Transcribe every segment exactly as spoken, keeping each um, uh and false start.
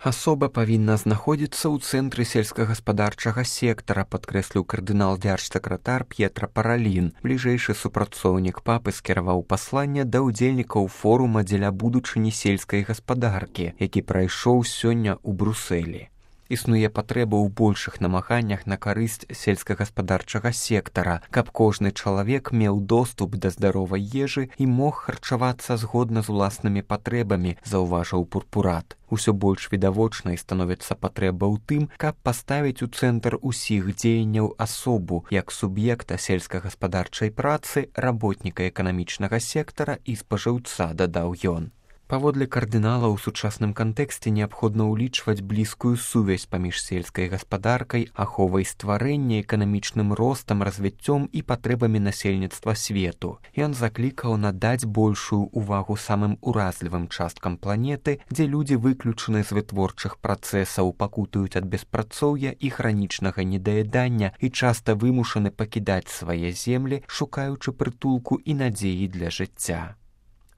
Асоба павінна знаходзіцца ў цэнтры сельскагаспадарчага сектара, падкрэсліў кардынал дзяржсакратар П'етра Паралін. Бліжэйшы супрацоўнік папы скіраваў пасланне да ўдзельнікаў форума дзеля будучыні сельскай гаспадаркі, які прайшоў сёння ў Брусэлі. Існуе патрэба ў большых намаганнях на карысць сельскагаспадарчага сектара, каб кожны чалавек меў доступ да здаровай ежы і мог харчавацца згодна з уласнымі патрэбамі, заўважыў Пурпурат. Усё больш відавочнай становіцца патрэба ў тым, каб паставіць у цэнтр усіх дзеянняў асобу, як суб'екта сельскагаспадарчай працы, работніка эканамічнага сектара і спажыўца, дадаў ён. Паводле кардынала ў сучасным кантэксце неабходна ўлічваць блізкую сувязь паміж сельскай гаспадаркай, аховай стварэння, эканамічным ростам, развіццём і патрэбамі насельніцтва свету. Ён заклікаў надаць большую ўвагу самым уразлівым часткам планеты, дзе людзі выключаны з вытворчых працэсаў, пакутуюць ад беспрацоўя і хранічнага недаядання і часта вымушаны пакідаць свае землі, шукаючы прытулку і надзеі для жыцця.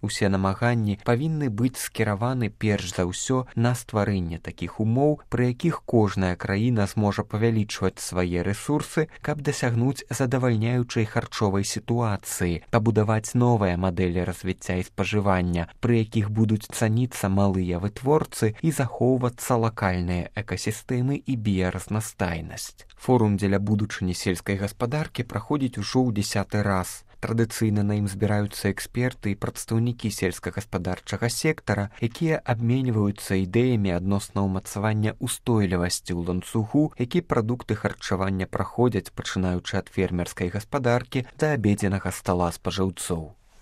Усе намаганні павінны быць скіраваны перш за ўсё на стварэнне такіх умоў, пры якіх кожная краіна зможа павялічваць свае рэсурсы, каб дасягнуць задавальняючай харчовай сітуацыі, пабудаваць новыя мадэлі развіцця і спажывання, пры якіх будуць цаніцца малыя вытворцы і захоўвацца лакальныя экасістэмы і біяразнастайнасць. Форум дзеля будучыні сельскай гаспадаркі праходзіць ужо ў дзясяты раз. Традыцыйна на ім збіраюцца эксперты і прадстаўнікі сельскагаспадарчага сектара, якія абменьваюцца ідэямі адносна ўмацавання устойлівасці ў ланцугу, які прадукты харчавання праходзяць, пачынаючы ад фермерскай гаспадаркі да абедзенага стала спажыўцоў.